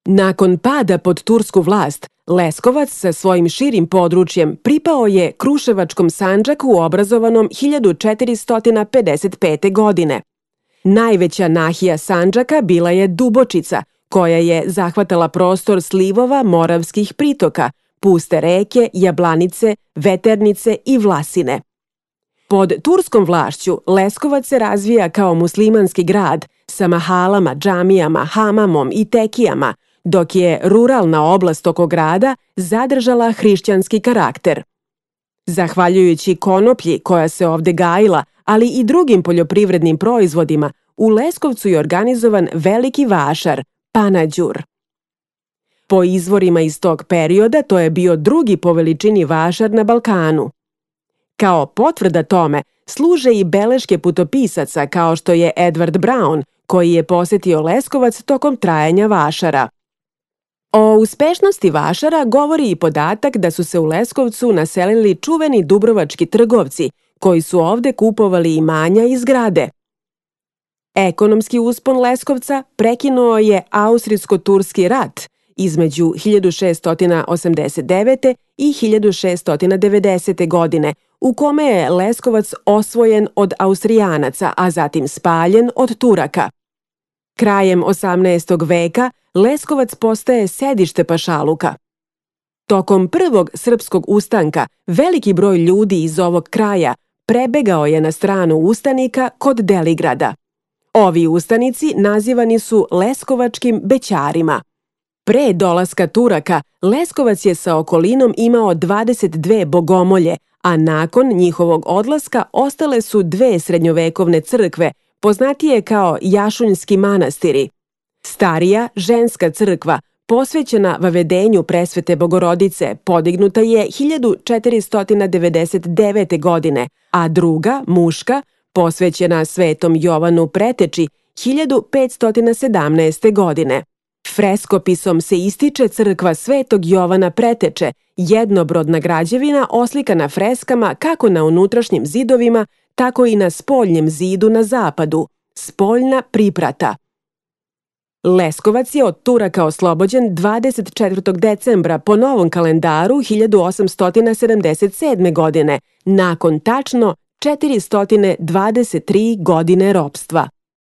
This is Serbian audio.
Nakon pada pod tursku vlast, Leskovac sa svojim širim područjem pripao je Kruševačkom Sandžaku obrazovanom 1455. godine. Najveća nahija Sandžaka bila je Dubočica, koja je zahvatala prostor slivova moravskih pritoka, puste reke, Jablanice, Veternice i Vlasine. Pod turskom vlašću Leskovac se razvija kao muslimanski grad sa mahalama, džamijama, hamamom i tekijama, dok je ruralna oblast oko grada zadržala hrišćanski karakter. Zahvaljujući konoplji koja se ovde gajila, ali i drugim poljoprivrednim proizvodima, u Leskovcu je organizovan veliki vašar, Panađur. Po izvorima iz tog perioda to je bio drugi po veličini vašar na Balkanu. Kao potvrda tome služe i beleške putopisaca kao što je Edward Brown, koji je posetio Leskovac tokom trajanja vašara. O uspešnosti vašara govori i podatak da su se u Leskovcu naselili čuveni dubrovački trgovci, koji su ovde kupovali imanja i zgrade. Ekonomski uspon Leskovca prekinuo je Austrijsko-turski rat između 1689. i 1690. godine, u kome je Leskovac osvojen od Austrijanaca, a zatim spaljen od Turaka. Krajem 18. veka Leskovac postaje sedište pašaluka. Tokom prvog srpskog ustanka veliki broj ljudi iz ovog kraja prebegao je na stranu ustanika kod Deligrada. Ovi ustanici nazivani su leskovačkim bećarima. Pre dolaska Turaka, Leskovac je sa okolinom imao 22 bogomolje, a nakon njihovog odlaska ostale su dve srednjovekovne crkve, poznatije kao Jašunjski manastiri. Starija ženska crkva, posvećena vavedenju Presvete Bogorodice, podignuta je 1499. godine, a druga, muška, posvećena Svetom Jovanu Preteči, 1517. godine. Freskopisom se ističe crkva Svetog Jovana Preteče, jednobrodna građevina oslikana freskama kako na unutrašnjim zidovima, tako i na spoljnjem zidu na zapadu, spoljna priprata. Leskovac je od Turaka oslobođen 24. decembra po novom kalendaru 1877. godine, nakon tačno 423 godine ropstva.